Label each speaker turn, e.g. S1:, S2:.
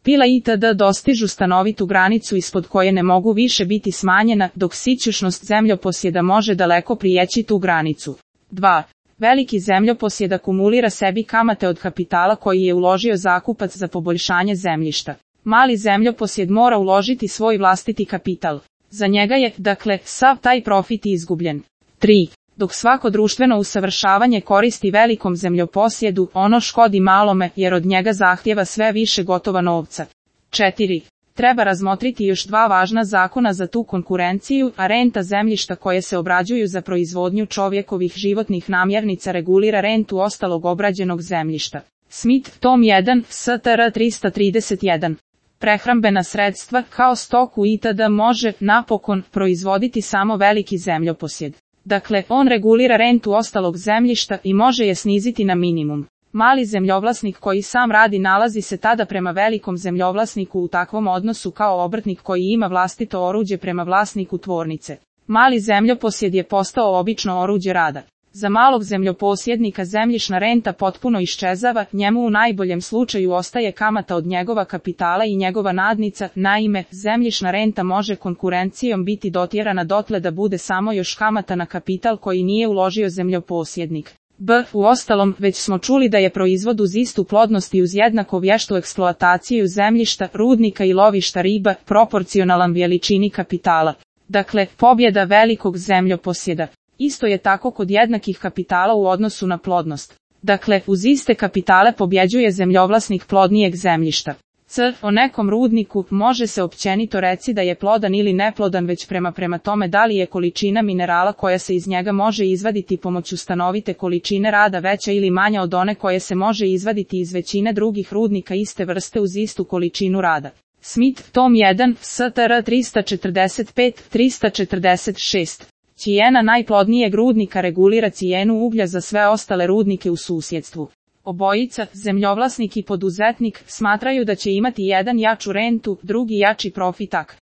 S1: pila itd. Dostižu stanovitu granicu ispod koje ne mogu više biti smanjena, dok sićušnost zemljoposjeda može daleko prijeći tu granicu. 2. Veliki zemljoposjed akumulira sebi kamate od kapitala koji je uložio zakupac za poboljšanje zemljišta. Mali zemljoposjed mora uložiti svoj vlastiti kapital. Za njega je, dakle, sav taj profit izgubljen. 3. Dok svako društveno usavršavanje koristi velikom zemljoposjedu, ono škodi malome jer od njega zahtjeva sve više gotova novca. 4. Treba razmotriti još dva važna zakona za tu konkurenciju, a renta zemljišta koje se obrađuju za proizvodnju čovjekovih životnih namirnica regulira rentu ostalog obrađenog zemljišta. Smith, tom 1, STR 331. Prehrambena sredstva, kao stoku itd. Može, napokon, proizvoditi samo veliki zemljoposjed. Dakle, on regulira rentu ostalog zemljišta i može je sniziti na minimum. Mali zemljovlasnik koji sam radi nalazi se tada prema velikom zemljovlasniku u takvom odnosu kao obrtnik koji ima vlastito oruđe prema vlasniku tvornice. Mali zemljoposjed je postao obično oruđe rada. Za malog zemljoposjednika zemljišna renta potpuno iščezava, njemu u najboljem slučaju ostaje kamata od njegova kapitala i njegova nadnica, naime, zemljišna renta može konkurencijom biti dotjerana dotle da bude samo još kamata na kapital koji nije uložio zemljoposjednik. Uostalom, već smo čuli da je proizvod uz istu plodnost i uz jednako vještu eksploataciju zemljišta, rudnika i lovišta riba, proporcionalan veličini kapitala. Dakle, pobjeda velikog zemljoposjeda. Isto je tako kod jednakih kapitala u odnosu na plodnost. Dakle, uz iste kapitale pobjeđuje zemljovlasnik plodnijeg zemljišta. O nekom rudniku može se općenito reći da je plodan ili neplodan već prema tome da li je količina minerala koja se iz njega može izvaditi pomoću stanovite količine rada veća ili manja od one koje se može izvaditi iz većine drugih rudnika iste vrste uz istu količinu rada. Smith, tom 1, STR 345-346. Cijena najplodnijeg rudnika regulira cijenu uglja za sve ostale rudnike u susjedstvu. Obojica, zemljovlasnik i poduzetnik, smatraju da će imati jedan jaču rentu, drugi jači profitak.